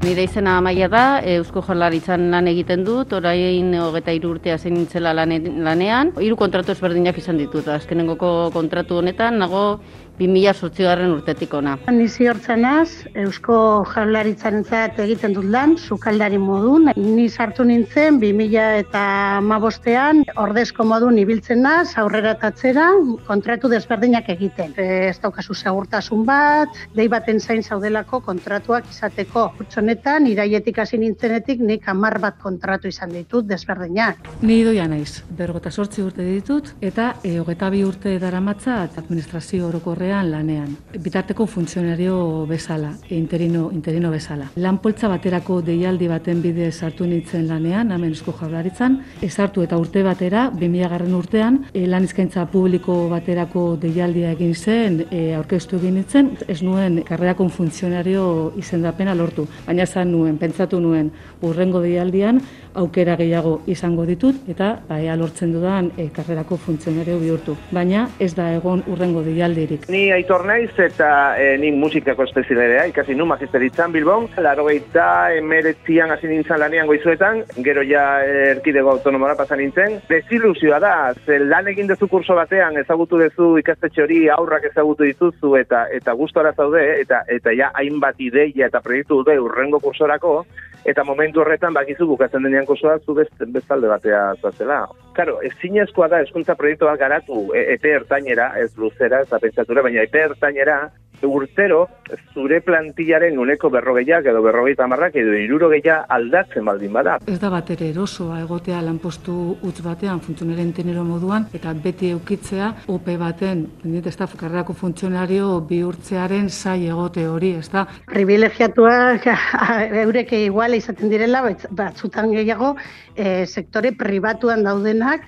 Nire izena Amaia da, Eusko Jaurlaritzan lan egiten dut, orain 23 urte hasi nintzela lanean. 3 kontratu ezberdinak izan ditut, azkenengoko kontratu honetan nago 2008 urtetik ona. Ni ziortzen naiz, Eusko Jaurlaritzarentzat egiten dut lan, sukaldari modun. Ni sartu nintzen 2015ean ordezko modun ibiltzen naiz, aurrera eta atzera, kontratu desberdinak egiten. Ez daukazu segurtasun bat, dei baten zain zaudelako kontratuak izateko. Honetan, iraietik hasi nintzenetik nik 10 bat kontratu izan ditut desberdinak. Ni idoia naiz, 58 urte ditut eta 22 urte daramatzat administrazio orokorrean lanean. Bitarteko funtzionario bezala, interino bezala. Lan poltsa baterako deialdi baten bidez sartu nintzen lanean, hemen Eusko Jaurlaritzan, sartu eta urte batera, 2000 urtean, lan eskaintza publiko baterako deialdia egin zen, aurkeztu egin nintzen, ez nuen karrerakon funtzionario izendapena lortu. Baina pentsatu nuen, hurrengo deialdian aukera gehiago izango ditut eta ea lortzen dudan karrerako funtzionario bihurtu. Baina ez da egon hurrengo deialdirik. Ni Aitor naiz eta ni musikako espezialitatea, ikasi nu magisteritzan Bilbon, 89an hasi nintzen lanean Goizuetan, gero ja erkidego autonomora pasa nintzen. Desilusioa da, lan egin duzu kurso batean, ezagutu duzu ikastetxe hori, aurrak ezagutu dituzu eta gustora zaude, eta ja hainbat ideia eta proiektu dute hurrengo kursorako, eta momentu horretan bakizu bukatzen denean kursoa zu bestalde batea zuazela. Claro, ezinezkoa da hezkuntza proiektu bat garatu epe ertainera, ez luzera, ez da pentsatura, baina epe ertainera, urtero zure plantillaren 40 edo 50 edo 60 aldatzen baldin bada. Ez da batere erosoa egotea lanpostu huts batean funtzionaren tenero moduan eta beti eukitzea OP baten, ez da karrerako funtzionario bihurtzearen zai egote hori, ez da. Privilegiatuak eurek igual izaten direla, batzutan gehiago sektore pribatuan daudenak,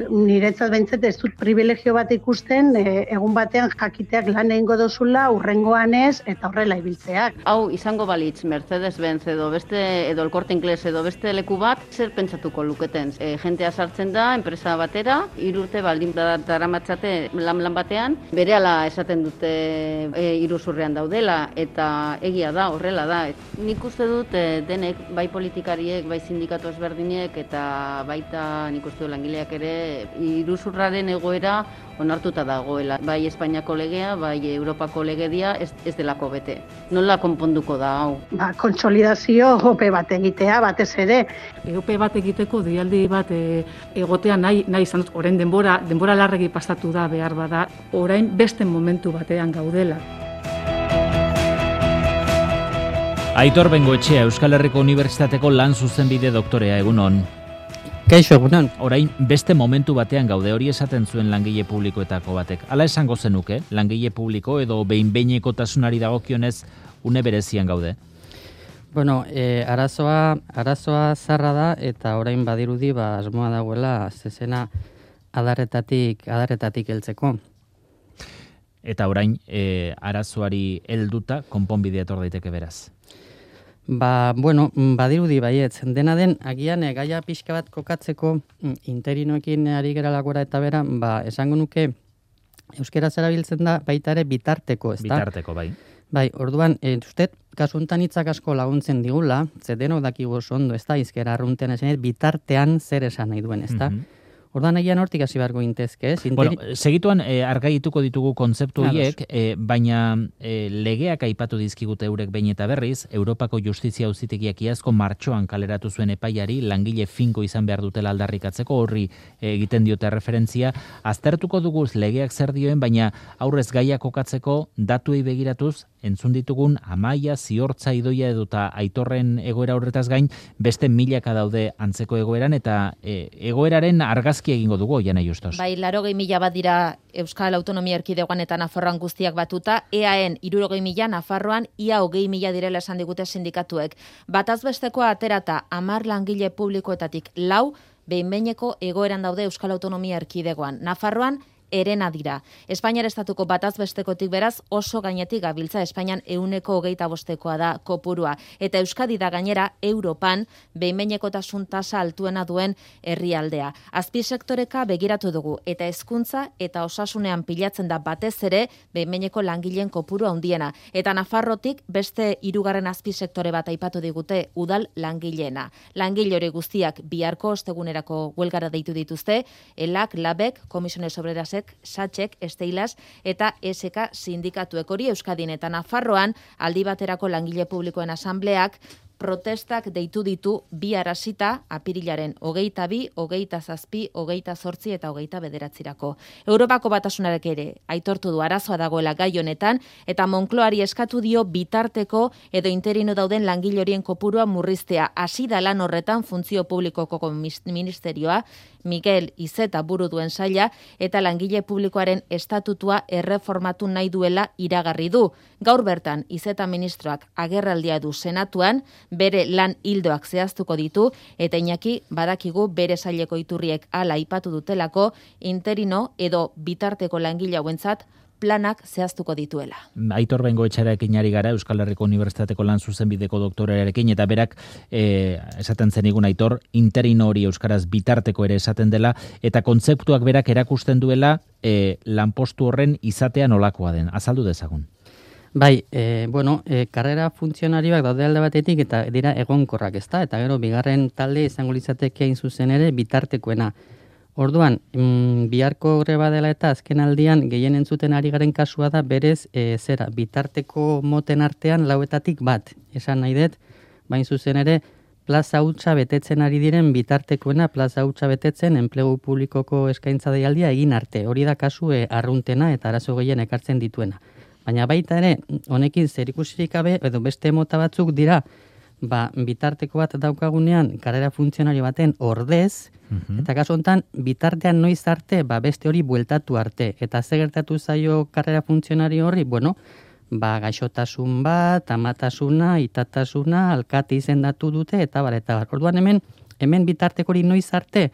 niretzat behintzat ez dut privilegio bat ikusten, egun batean jakiteak lan egingo dozula, urrengoan ez, eta horrela ibiltzeak. Hau izango balitz Mercedes-Benz edo El Corte Inglés edo beste leku bat, zer pentsatuko luketen? Jentea sartzen da, enpresa batera, 3 urte baldin daramatzate lan batean, berehala esaten dute iruzurrean daudela, eta egia da, horrela da. Nik uste dut denek, bai politikariek, bai sindikatu ezberdinek, eta baita nik uste dut langileak ere, iruzurraren egoera onartuta dagoela. Bai Espainiako legea, bai Europako legedia ez delako bete. Nola konponduko da hau? Kontsolidazio OP bat egitea, batez ere. OP bat egiteko deialdi bat egotea nahi izan dut, orain denbora larregi pasatu da behar bada, orain beste momentu batean gaudela. Aitor Bengoetxea, Euskal Herriko Unibertsitateko lan zuzenbide doktorea, egunon. Kaixo, egunon. Orain beste momentu batean gaude, hori esaten zuen langile publikoetako batek. Hala esango zenuke, langile publiko edo behin-behinekotasunari dagokionez une berezian gaude? Bueno, arazoa zarra da eta orain badirudi asmoa dagoela zezena adarretatik heltzeko. Eta orain arazoari helduta konponbidea etor daiteke beraz. Badirudi baietz. Dena den, agian gaia pixka bat kokatzeko interinoekin ari geralakora eta bera, esango nuke euskera zerabiltzen da baita ere bitarteko, ez da? Bitarteko, bai. Bai, orduan, ustez, kasuntan hitzak asko laguntzen digula, denok dakigu oso ondo, ez da, izkera arruntean esan, bitartean zer esan nahi duen, ez da? Orduan egian hortik hasi beharko gintezke, ez? Segituan argaituko ditugu kontzeptu horiek, baina legeak aipatu dizkigute eurek behin eta berriz, Europako Justizia Auzitegiak iazko martxoan kaleratu zuen epaiari, langile finko izan behar dutela aldarrikatzeko, horri egiten diote referentzia. Aztertuko duguz legeak zer dioen, baina aurrez gaia kokatzeko datuei begiratuz, entzun ditugun Amaia, Ziortza, Idoia eduta Aitorren egoera horretaz gain, beste milaka daude antzeko egoeran, eta egoeraren argazki egingo dugu, Jana Justos. Bai, 80.000 bat dira Euskal Autonomia Erkidegoan eta Nafarroan guztiak batuta, EAen 60.000, Nafarroan ia 20.000 direla esan digute sindikatuek. Batazbestekoa aterata 10 langile publikoetatik 4 behin-behineko egoeran daude Euskal Autonomia Erkidegoan. Nafarroan erena dira. Espainiar estatuko batazbestekotik beraz oso gainetik gabiltza, Espainian 125 da kopurua. Eta Euskadi da gainera Europan behin-behinekotasun tasa altuena duen herrialdea. Azpisektoreka begiratu dugu eta hezkuntza eta osasunean pilatzen da batez ere behin-behineko langileen kopuru handiena. Eta Nafarrotik beste 3. azpisektore bat aipatu digute udal langileena. Langile hori guztiak biharko ostegunerako huelgara deitu dituzte, ELAK, LABek, Komisiones Obrerasek, SATxek, Esteilas eta SK sindikatuek. Hori Euskadin eta Nafarroan aldi baterako langile publikoen asambleak protestak deitu ditu bihar hasita apirilaren 22, 27, 28 eta 29. Europako Batasunarak ere aitortu du arazoa dagoela gai honetan eta Moncloari eskatu dio bitarteko edo interino dauden langile horien kopurua murriztea. Hasi da lan horretan funtzio publikoko ministerioa, Mikel Izeta buru duen saila eta langile publikoaren estatutua erreformatu nahi duela iragarri du. Gaur bertan Izeta ministroak agerraldia du Senatuan, bere lan hildoak zehaztuko ditu eta Iñaki badakigu bere saileko iturriek hala aipatu dutelako interino edo bitarteko langile hauentzat planak zehaztuko dituela. Aitor Bengoetxearekin ari gara Euskal Herriko Unibertsitateko lan zuzenbideko doktorarekin eta berak esaten zenigun Aitor interino hori euskaraz bitarteko ere esaten dela eta kontzeptuak berak erakusten duela lanpostu horren izatea nolakoa den. Azaldu dezagun. Bai, karrera funtzionarioak daude alde batetik eta dira egonkorrak, ezta? Eta gero bigarren talde izango litzateke hain zuzen ere bitartekoena. Orduan, biharko greba dela eta azken aldian gehien entzuten ari garen kasua da berez bitarteko moten artean 4etatik bat. Esan nahi dut, bain zuzen ere plaza hutsa betetzen ari diren bitartekoena plaza hutsa betetzen enplegu publikoko eskaintza deialdia egin arte. Hori da kasu arruntena eta arazo gehien ekartzen dituena. Baina baita ere, honekin zerikusirik gabe edo beste mota batzuk dira, bitarteko bat daukagunean karrera funtzionario baten ordez, eta kasu honetan bitartean noiz arte, beste hori bueltatu arte. Eta ze gertatu zaio karrera funtzionario horri, gaixotasun bat, amatasuna, itatasuna, alkate izendatu dute, eta bar. Orduan hemen bitarteko hori noiz arte,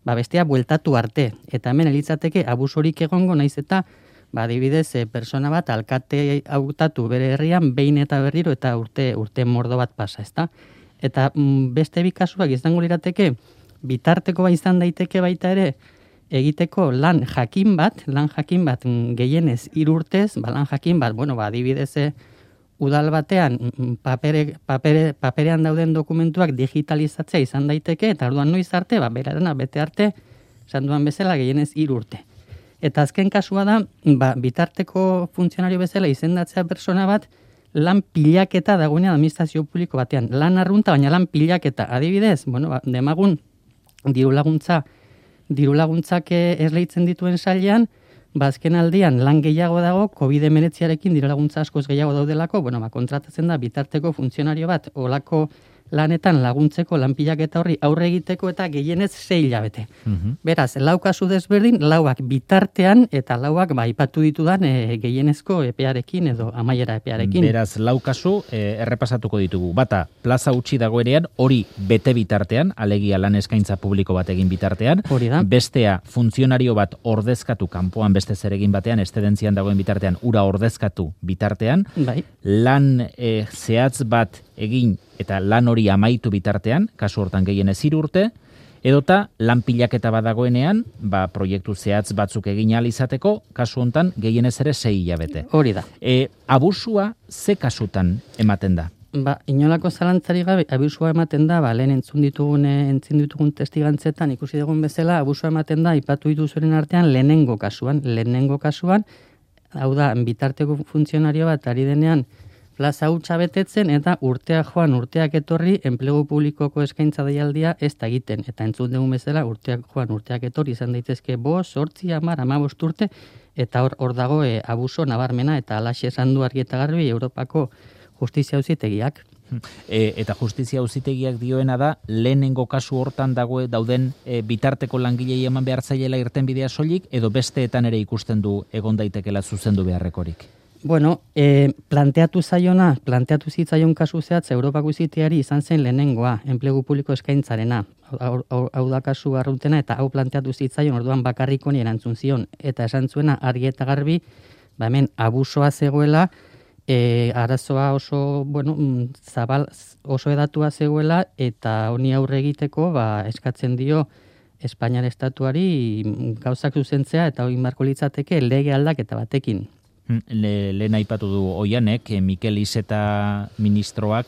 bestea bueltatu arte. Eta hemen elitzateke abusorik egongo naiz eta adibidez, persona bat alkate hautatu bere herrian behin eta berriro eta urte mordo bat pasa, ezta? Eta beste bi kasuak izango lirateke bitarteko izan daiteke baita ere egiteko lan jakin bat gehienez 3 urtez, lan jakin bat, adibidez udal batean paperean dauden dokumentuak digitalizatzea izan daiteke eta orduan noiz arte, berarena bete arte, esan duan bezala gehienez 3 urte. Eta azken kasua da, bitarteko funtzionario bezala izendatzea persona bat lan pilaketa dagoenean administrazio publiko batean. Lan arrunta, baina lan pilaketa. Adibidez, demagun diru laguntzak esleitzen dituen sailean, azken aldian lan gehiago dago, COVID-19arekin diru laguntza askoz gehiago daudelako, kontratatzen da bitarteko funtzionario bat, olako lanetan laguntzeko lanpilaketa horri aurre egiteko eta gehienez 6 hilabete. Beraz, 4 kasu desberdin, 4 bitartean eta 4 aipatu ditudan gehienezko epearekin edo amaiera epearekin. Beraz, 4 kasu errepasatuko ditugu. Bata, plaza utzi dagoenean, hori bete bitartean, alegia lan eskaintza publiko bat egin bitartean. Hori da. Bestea, funtzionario bat ordezkatu kanpoan beste zeregin batean, eszedentzian dagoen bitartean, ura ordezkatu bitartean. Bai. Lan zehatz bat egin eta lan hori amaitu bitartean, kasu hortan gehienez 3 urte, edota lan pilaketa badagoenean, proiektu zehatz batzuk egin ahal izateko, kasu hontan gehienez ere 6 hilabete. Hori da. Abusua ze kasutan ematen da? Inolako zalantzari gabe, abusua ematen da, lehen entzun ditugun testigantzetan ikusi dugun bezala, abusua ematen da, ipatu dituzuren artean lehenengo kasuan, hau da, bitarteko funtzionario bat ari denean, plaza hutsa betetzen eta urteak etorri enplegu publikoko eskaintza deialdia ez da egiten. Eta entzun dugun bezala urteak etorri izan daitezke 5, 8, 10, 15 urte eta hor dago abuso nabarmena eta alaxe esan du argi eta garbi Europako Justizia Auzitegiak. Eta Justizia Auzitegiak dioena da lehenengo kasu hortan dauden bitarteko langilei eman behar zaiela irtenbidea soilik edo besteetan ere ikusten du egon daitekela zuzendu beharrekorik. Bueno, planteatu zitzaion kasu zehatz Europako iziteari izan zen lehenengoa, enplegu publiko eskaintzarena. Hau da kasu arruntena eta hau planteatu zitzaion orduan bakarrikoni erantzun zion. Eta esan zuena argi eta garbi, hemen abusoa zegoela, arazoa oso, zabal, oso edatua zegoela eta honi aurre egiteko eskatzen dio Espainiar estatuari gauzak zuzentzea eta hori marko litzateke lege aldaketa batekin. Lehen aipatu du Oianek, Mikel Iceta ministroak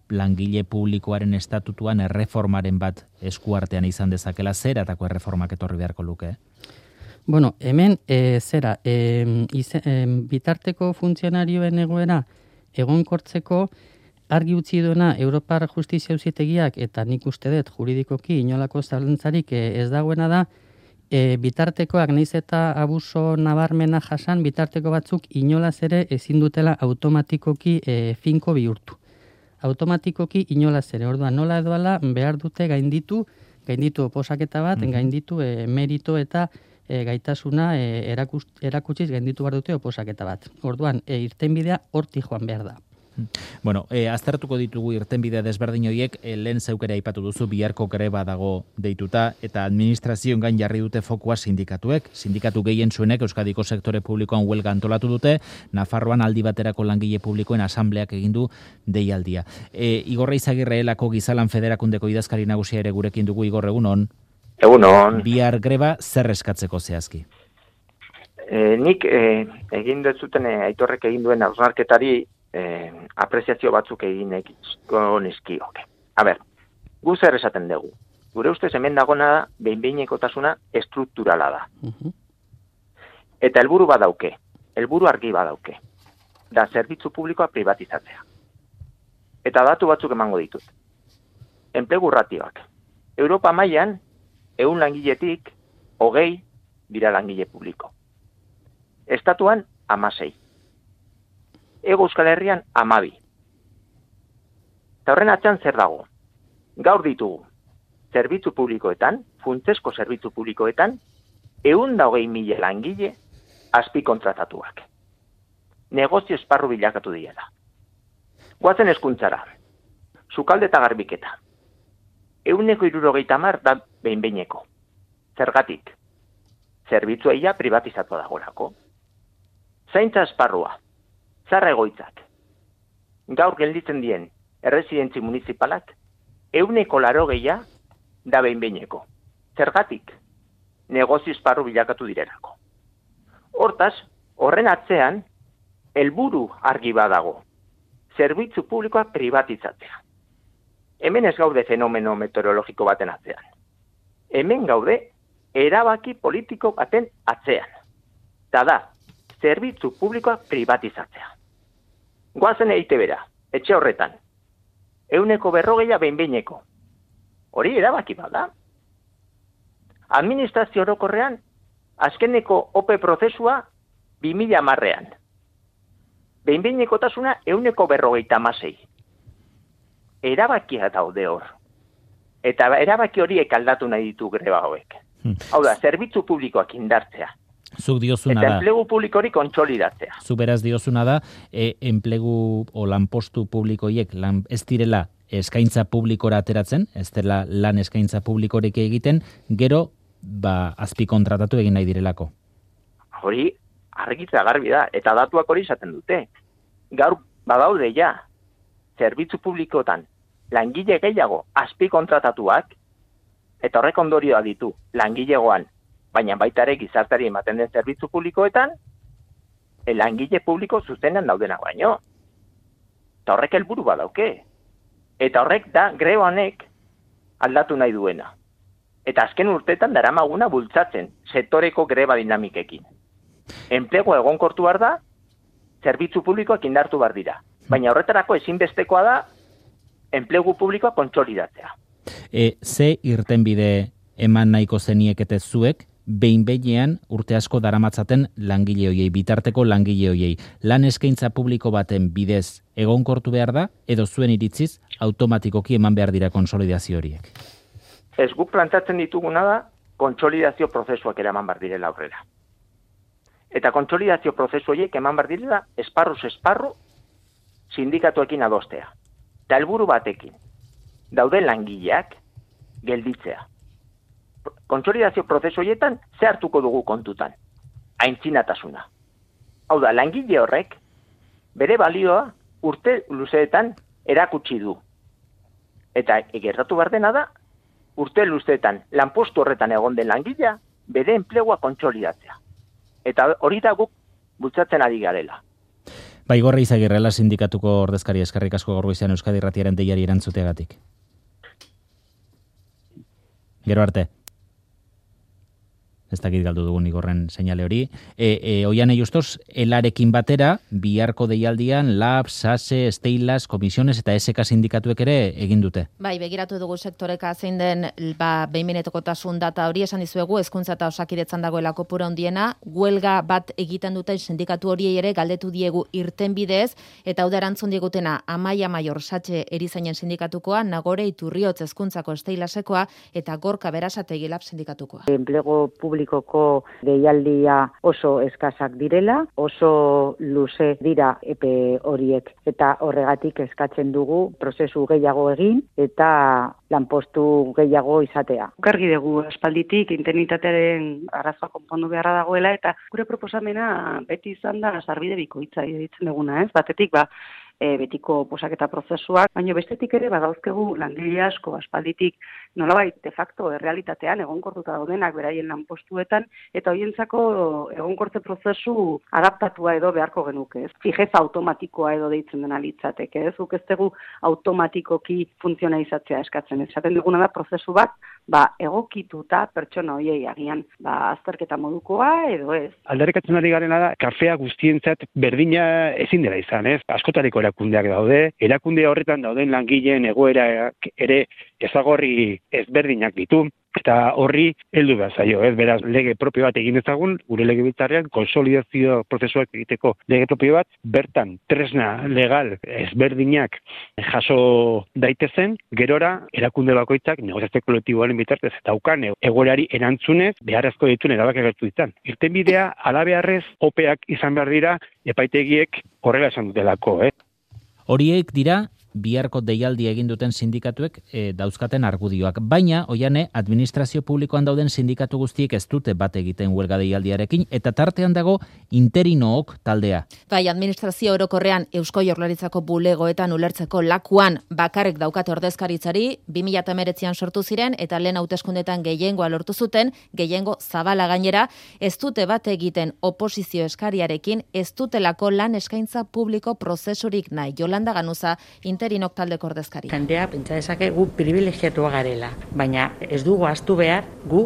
langile publikoaren estatutuan erreformaren bat eskuartean izan dezakela, zeratako erreformak etorri beharko luke? Bueno, hemen bitarteko funtzionarioen egoera egonkortzeko argi utzi duena Europar Justizia Auzitegiak eta nik uste dut juridikoki inolako zalantzarik ez dagoena da, bitartekoak nahiz eta abuso nabarmena jasan, bitarteko batzuk inolaz ere ezin dutela automatikoki finko bihurtu. Automatikoki inolaz ere, orduan nola edoala behar dute gainditu oposaketa bat, gainditu merito eta gaitasuna erakutsiz gainditu behar dute oposaketa bat. Orduan, irtenbidea hortik joan behar da. Bueno, aztertuko ditugu irtenbide desberdin horiek, lehen zeukera aipatu duzu, biharko greba dago deituta, eta administrazioen gain jarri dute fokua sindikatuek. Sindikatu gehien zuenek Euskadiko sektore publikoan huelga antolatu dute, Nafarroan aldi baterako langile publikoen asambleak egindu deialdia. Igor Eizagirre elako Gizalan Federakundeko idazkari nagusia ere gurekin dugu. Igor, egunon? Egunon. Bihar greba zer eskatzeko zehazki? Nik egin dut zuten Aitorrek egin duen hausnarketari apreziazio batzuk egin nizkioke. Gu zer esaten dugu. Gure ustez hemen dagona da, behin-behinekotasuna estrukturala da. Eta helburu badauke, helburu argi badauke, da zerbitzu publikoa privatizatzea. Eta datu batzuk emango ditut. Enplegu ratioak. Europa mailan 100 langiletik 20 dira langile publiko. Estatuan 16. Hego Euskal Herrian 12. Eta horren atzean zer dago? Gaur ditugu, zerbitzu publikoetan, funtsezko zerbitzu publikoetan, 120.000 langile azpikontratatuak. Negozio esparru bilakatu direla. Goazen hezkuntzara, sukalde eta garbiketa. 170 da behin-behineko. Zergatik? Zerbitzua ia privatizatu dagoelako. Zaintza esparrua. Zarra egoitzak. Gaur gelditzen dien erresidentzi municipalak 180 da behin-behineko. Zergatik? Negozio esparru bilakatu direlako. Hortaz, horren atzean, helburu argi badago. Zerbitzu publikoa privatizatzea. Hemen ez gaude fenomeno meteorologiko baten atzean. Hemen gaude erabaki politiko baten atzean. Eta da, zerbitzu publikoa privatizatzea. Goazen EITB-ra, etxe horretan. 140 behin-behineko. Hori erabaki bada. Administrazio orokorrean, azkeneko OPE prozesua 2010ean. Behin-behinekotasuna 156. Erabakia daude hor. Eta erabaki horiek aldatu nahi ditu greba hauek. Hau da, zerbitzu publikoak indartzea. Zuk diozuna da. Eta enplegu publikori kontsolidatzea. Zu beraz diozuna da, enplegu o lanpostu publikoiek ez direla eskaintza publikora ateratzen, ez dela lan eskaintza publikorek egiten, gero azpikontratatu egin nahi direlako. Hori argitza garbi da, eta datuak hori esaten dute. Gaur badaude ja, zerbitzu publikotan langile gehiago azpikontratatuak, eta horrek ondorioa ditu langilegoan, baina baita ere gizartari ematen den zerbitzu publikoetan, langile publiko zuzenean daudena baino. Eta horrek helburu badauke. Eta horrek da greba honek aldatu nahi duena. Eta azken urteetan daramaguna bultzatzen sektoreko greba dinamikekin. Enplegu egonkortu behar da, zerbitzu publikoak indartu behar dira. Baina horretarako ezinbestekoa da enplegu publikoa kontsolidatzea. Ze irtenbide eman nahiko zeniekete zuek, behin-behinean urte asko daramatzaten langile hoiei, bitarteko langile hoiei. Lan eskaintza publiko baten bidez egonkortu behar da, edo zuen iritziz automatikoki eman behar dira konsolidazio horiek? Ez guk plantatzen dituguna da, kontsolidazio prozesuak eraman behar direla aurrera. Eta kontsolidazio prozesu horiek eman behar direla esparruz esparru sindikatuekin adostea. Eta helburu batekin, dauden langileak gelditzea. Kontsolidazio prozesu horietan ze hartuko dugu kontutan? Aintzinatasuna. Hau da, langile horrek bere balioa urte luzeetan erakutsi du. Eta gertatu behar dena da, urte luzeetan lanpostu horretan egon den langilea bere enplegua kontsolidatzea. Eta hori da guk bultzatzen ari garela. Igorri Izagirrela sindikatuko ordezkari, eskerrik asko gaur goizean Euskadi Irratiaren deiari erantzuteagatik. Gero arte. Ez dakit galdu dugun Igorren seinale hori. Oiane Justos, elarekin batera, biharko deialdian, LAB, SASE, Steilas, Komisiones eta SK sindikatuek ere egin dute. Bai, begiratu dugu sektoreka zein den behin-behinekotasun data hori esan dizuegu, hezkuntza eta osakidetzan dagoela kopuru handiena, huelga bat egiten duten sindikatu horiei ere galdetu diegu irtenbidez, eta hau da erantzun digutena Amaia Maior Satxe erizainen sindikatukoa, Nagore Iturriotz hezkuntzako Steilasekoa eta Gorka Berasategi LAB sindikatukoa. Enplegu publikoko deialdia oso eskasak direla, oso luze dira epe horiek eta horregatik eskatzen dugu prozesu gehiago egin eta lanpostu gehiago izatea. Gargi dugu aspalditik internitatearen arazoa konpondu beharra dagoela eta gure proposamena beti izan da sarbide bikoitza ditzen duguna, ez? Batetik betiko posaketa prozesuak, baina bestetik ere badauzkegu langile asko aspalditik nolabait de facto errealitatean egonkortuta daudenak beraien lanpostuetan eta hoientzako egonkortze prozesu adaptatua edo beharko genuke, ez? Fijeza automatikoa edo deitzen dena litzateke, ez? Guk ez dugu automatikoki funtzionalizatzea eskatzen. Esaten duguna da prozesu bat, egokituta pertsona hoiei agian azterketa modukoa edo ez. Aldarrikatzen ari garena da kafea guztientzat berdina ezin dela izan, ez? Askotariko erakundeak daude, erakunde horretan dauden langileen egoerak ere ezagorri ezberdinak ditu, eta horri heldu behar zaio, ez? Beraz, lege propio bat egin ezagun, gure legebiltzarrean konsolidazio prozesuak egiteko lege propio bat, bertan tresna legal ezberdinak jaso daitezen, gerora erakunde bakoitzak negoziazio kolektiboaren bitartez daukan egoerari erantzunez beharrezko dituen erabakiak hartu ditzan. Irtenbidea halabeharrez opeak izan behar dira epaitegiek horrela esan dutelako, Horiek dira biharko deialdi egin duten sindikatuek dauzkaten argudioak. Baina, Oiane, administrazio publikoan dauden sindikatu guztiek ez dute bat egiten huelga deialdiarekin, eta tartean dago interinook taldea. Bai, administrazio orokorrean Eusko Jaurlaritzako bulegoetan ulertzeko lakuan bakarrik daukate ordezkaritzari, 2019an sortu ziren, eta lehen hauteskundetan gehiengoa lortu zuten, gehiengo zabala gainera, ez dute bat egiten oposizio eskariarekin, ez dutelako lan eskaintza publiko prozesurik nahi. Jolanda Ganuza, interinok taldeko ordezkari. Jendea pentsa dezake gu privilegiatua garela, baina ez dugu ahaztu behar gu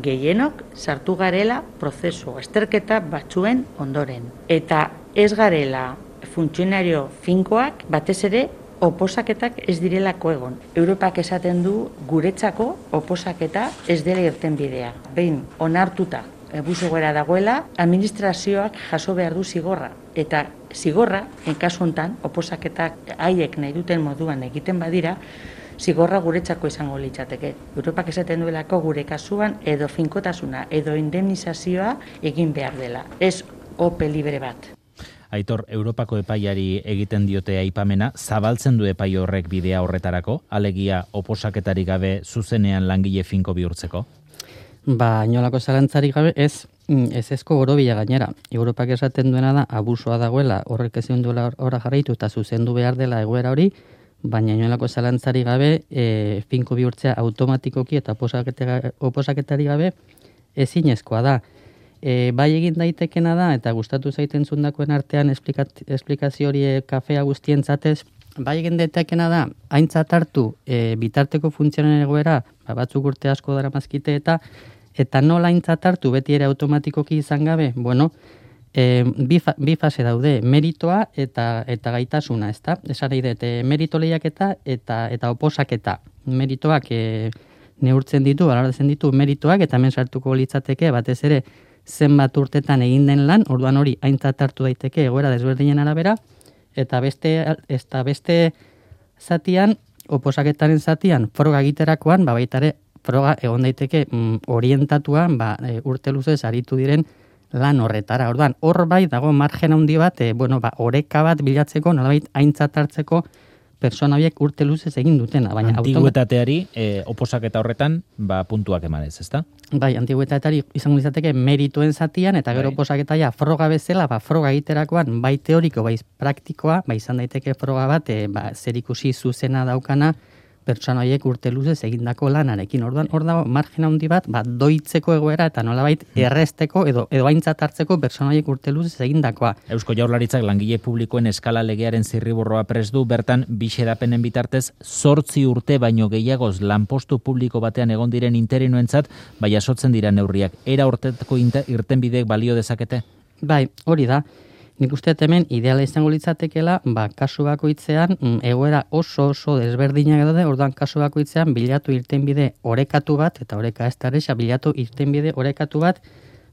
gehienok sartu garela prozesu azterketa batzuen ondoren. Eta ez garela funtzionario finkoak batez ere oposaketak ez direlako egon. Europak esaten du guretzako oposaketa ez dela irtenbidea. Behin onartuta abuso gara dagoela, administrazioak jaso behar du zigorra. Eta zigorra, kasu honetan, oposaketak haiek nahi duten moduan egiten badira, zigorra guretzako izango litzateke. Europak esaten duelako gure kasuan edo finkotasuna, edo indemnizazioa egin behar dela. Ez ope libre bat. Aitor, Europako epaiari egiten diote aipamena, zabaltzen du epai horrek bidea horretarako, alegia oposaketarik gabe zuzenean langile finko bihurtzeko? Inolako zalantzarik gabe ezko gorobila gainera. Europak esaten duena da abusoa dagoela, horrek ezin duela ora jarraitu eta zuzendu behar dela egoera hori, baina inolako zalantzarik gabe finko bihurtzea automatikoki eta oposaketari gabe ezinezkoa da. Bai egin daitekena da, eta gustatu zaiten zundakoen artean esplikazio hori kafea guztientzatez, bai egin daitekena da, aintzat hartu bitarteko funtzionen egoera, batzuk urte asko daramazkite eta nola aintzat hartu beti ere automatikoki izan gabe, bi fase daude, meritoa eta gaitasuna, ezta? Esan nahi dut, merito lehiaketa eta oposaketa. Meritoak neurtzen ditu, balortzen ditu meritoak, eta hemen sartuko litzateke batez ere zenbat urtetan egin den lan, orduan hori aintzat hartu daiteke egoera desberdinen arabera, eta beste zatian, oposaketaren zatian, froga egiterakoan, baita ere froga egon daiteke orientatuan urte luzez aritu diren lan horretara. Orduan, hor bai dago margen handi bat, oreka bat bilatzeko, nolabait aintzat hartzeko persona horiek urte luzez egin dutena. Baina antiguetateari, oposaketa horretan, puntuak emanez, ezta? Bai, antiguetateari izango izateke merituen zatian, eta gero oposaketaia froga bezala, froga egiterakoan, bai teoriko, bai praktikoa, izan daiteke froga bat, zerikusi zuzena daukana, pertsona horiek urte luzez egindako lanarekin. Orduan, hor dago margen handi bat, doitzeko egoera eta nolabait erresteko edo aintzat hartzeko pertsona horiek urte luzez egindakoa. Eusko Jaurlaritzak langile publikoen eskala legearen zirriborroa prest du, bertan bi xedapenen bitartez 8 urte baino gehiagoz lanpostu publiko batean egon diren interinoentzat, bai jasotzen dira neurriak. Era hortetako irtenbideek balio dezakete? Bai, hori da. Nik uste hemen ideala izango litzatekela, kasu bakoitzean egoera oso desberdinak daude, orduan kasu bakoitzean bilatu irtenbide orekatu bat, eta oreka ez da bilatu irtenbide orekatu bat,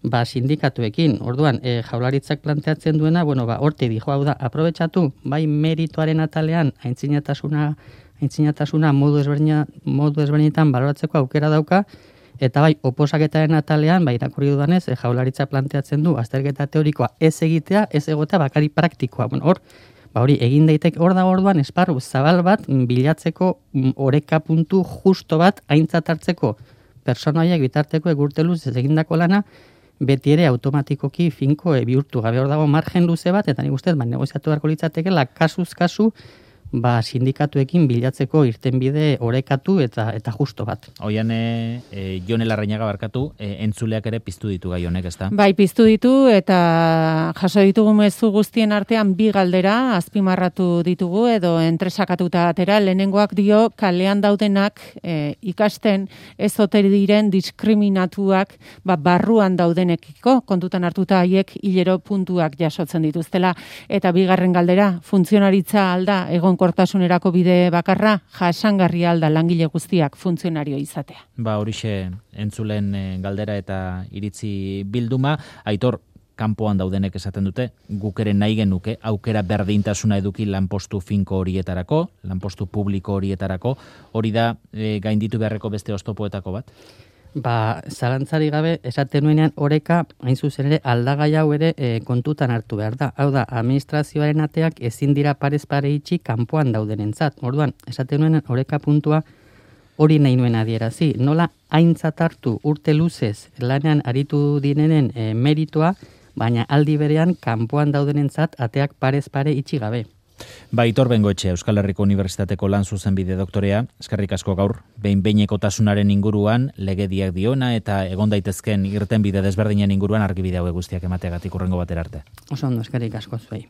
sindikatuekin. Orduan, Jaurlaritzak planteatzen duena, horti dijo hau da, aprobetxatu, bai merituaren atalean, aintzinatasuna modu ezberdinetan baloratzeko aukera dauka, eta bai, oposaketaren atalean, irakurri dudanez, Jaurlaritza planteatzen du, azterketa teorikoa ez egitea, ez egotea bakari praktikoa. Hori, egin daitek hor da orduan, esparru zabal bat, bilatzeko oreka puntu justo bat, aintzat hartzeko personaiak bitarteko egurte luzez egindako lana, beti ere automatikoki finko bihurtu gabe. Hor dago margen luze bat, eta nik ustez, negoziatu beharko litzatekela, kasuz kasu, sindikatuekin bilatzeko irtenbide orekatu eta justo bat. Oian, Jone Larrañaga barkatu, entzuleak ere piztu ditu gai honek, ezta? Bai, piztu ditu eta jaso ditugu mezu guztien artean bi galdera azpimarratu ditugu edo entresakatuta atera. Lehenengoak dio kalean daudenak ikasten ez ote diren diskriminatuak barruan daudenekiko, kontutan hartuta haiek hilero puntuak jasotzen dituztela. Eta bigarren galdera, funtzionaritza alda egonkortasunerako bide bakarra, jasangarria alda langile guztiak funtzionario izatea. Horixe entzulen galdera eta iritzi bilduma. Aitor, kanpoan daudenek esaten dute, guk ere nahi genuke aukera berdintasuna eduki lanpostu finko horietarako, lanpostu publiko horietarako, hori da gainditu beharreko beste oztopoetako bat? Zalantzari gabe, esaten nuenean oreka, hain zuzen ere, aldagai hau ere kontutan hartu behar da. Hau da, administrazioaren ateak ezin dira parez pare itxi kanpoan daudenentzat. Orduan, esaten nuenean oreka puntua hori nahi nuen adierazi. Nola aintzat hartu urte luzez lanean aritu direnen meritua, baina aldi berean kanpoan daudenentzat ateak parez pare itxi gabe. Aitor Bengoetxe, Euskal Herriko Unibertsitateko lan zuzenbide doktorea, eskerrik asko gaur, behin-behinekotasunaren inguruan, legediak diona eta egon daitezken irtenbide desberdinen inguruan argibide hauek guztiak emateagatik hurrengo batera arte. Oso ondo, eskerrik asko zuei.